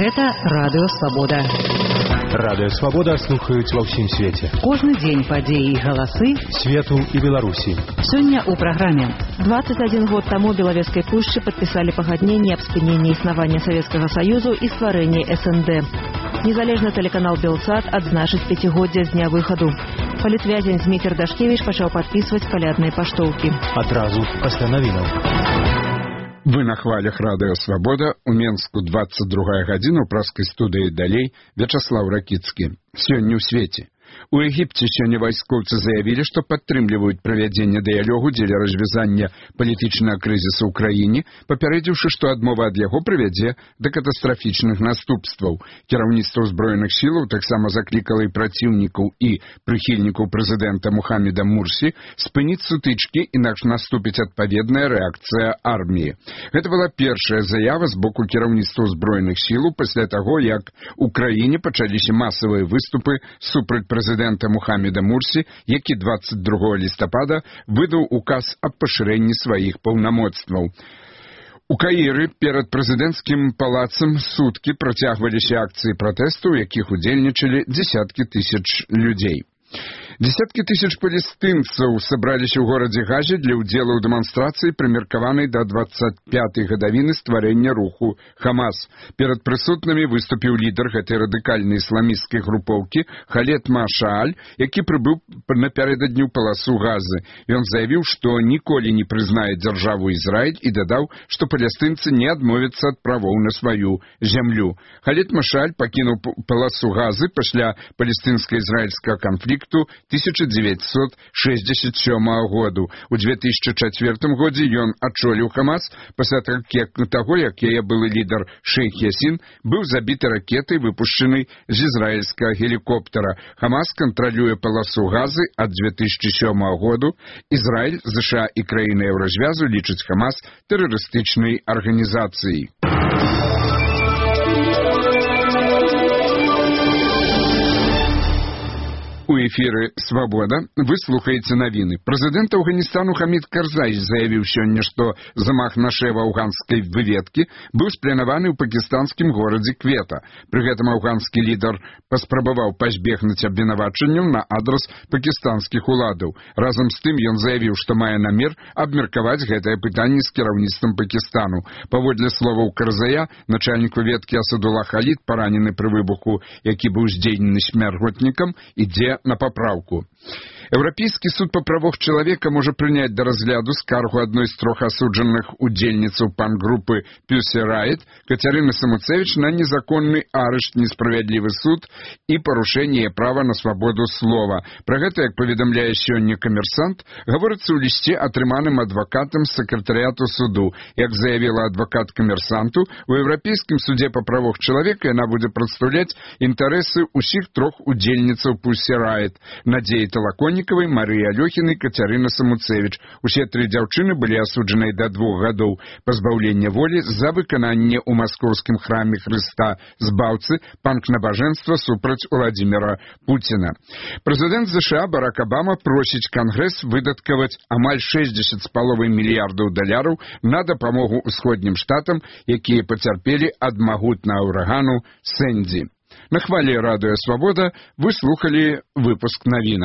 Гэта Радыё Свабода. Радыё Свабода слухаюць ва ўсім свеце. Кожны дзень падзеі і галасы свету і Беларусі. Сёння ў праграме. 21 год таму Белавежскай пушчы падпісалі пагадненне аб спыненні існавання Савецкага Саюзу і стварэнні СНД. Незалежны тэлеканал Белсат адзначыць 5-годдзе з дня выхаду. Палітвязень Зміцер Дашкевіч пачаў падпісваць калядныя паштоўкі. Адразу пасля навінаў. Вы на хвалях Радыё Свабода, у Менску 22 гадзіна, у праскай студыі далей Вячаслаў Ракіцкі. Сёння ў свеце. У Егіпце сёння вайскоўцы заявілі, што падтрымліваюць правядзенне дыялогу дзеля развязання палітычнага крызісу ў краіне, папярэдзіўшы, што адмова ад яго прывядзе да катастрафічных наступстваў. Кіраўніцтва ўзброеных сілаў таксама заклікала і праціўнікаў і прыхільнікаў прэзідэнта Мухаммеда Мурсі спыніць сутычкі, інакш наступіць адпаведная рэакцыя арміі. Гэта была першая заява з боку кіраўніцтва ўзброеных сілаў пасля таго, як у краіне пачаліся масавыя выступы супраць прэзідэнта Мухаммеда Мурсі, які 22 лістапада выдаў указ аб пашырэнні сваіх паўнамоцтваў. У Каіры перад прэзідэнцкім палацам суткі працягваліся акцыі пратэсту, у якіх удзельнічалі дзесяткі тысяч людзей. Десяткі тысяч палестынцаў сабраліся ў горадзе Газе для ўдзелу ў дэманстрацыі, прымеркаванай да 25-й гадавіны стварэння руху Хамас. Перад прысутнымі выступіў лідар гэтай радыкальнай ісламісцкай групоўкі Халед Машааль, які прыбыў напярэдадні ў паласу Газы. Ён заявіў, што ніколі не прызнае дзяржаву Ізраіль і дадаў, што палестынцы не адмовяцца ад правоў на сваю зямлю. Халед Машааль пакінуў паласу Газы пасля палестынска-ізраільскага канфлікту 1967 году. У 2004 годзе ён адчоліў Хамас пасля таго, як яе былы лідар Шейх Ясін быў забіты ракетай, выпушчанай з ізраільскага гелікоптара. Хамас кантралюе паласу Газы ад 2007 году. Ізраіль, США і краіны Еўразвязу лічаць Хамас тэрарыстычнай арганізацыяй. У эфіры «Свабода» вы слухаеце навіны. Прэзідэнт Афганістану Хамід Карзай заявіў сёння, што замах на шэфа афганскай выведкі быў спланаваны ў пакістанскім горадзе Квета. Пры гэтым афганскі лідар паспрабаваў пазбегнуць абвінавачанняў на адрас пакістанскіх уладаў. Разам з тым ён заявіў, што мае намер абмеркаваць гэтае пытанне з кіраўніцтвам Пакістану. Паводле словаў Карзая, начальнік выведкі Асадулла Халід, паранены пры выбуху, які быў здзейснены смяротнікам, ідзе на папраўку. Еўрапейскі суд па правах чалавека можа прыняць да разгляду скаргу адной з 3 асуджаных удзельніцаў пан-групы Pussy Riot Кацярыны Самуцевіч на незаконны арышт, несправядлівы суд і парушэнне права на свабоду слова. Пра гэта, як паведамляе сёння «Камерсант», гаворыцца ў лісце, атрыманым адвакатам з сакратарыяту суду. Як заявіла адвакат «Камерсанту», у Еўрапейскім судзе па правах чалавека яна будзе прадстаўляць інтарэсы ўсіх 3 удзельніцаў Pussy Riot – Надзеі Талаконнікавай, Марыі Алёхінай, Кацярыны Самуцевіч. Усе 3 дзяўчыны былі асуджаныя да 2 гадоў пазбаўлення волі за выкананне ў маскоўскім храме Хрыста збаўцы панк-набажэнства супраць Уладзіміра Пуціна. Прэзідэнт США Барак Абама просіць Кангрэс выдаткаваць амаль $60,5 мільярдаў на дапамогу ўсходнім штатам, якія пацярпелі ад магутнага ўрагану Сэнді. На хвале Радыё Свабода вы слухалі выпуск навінаў.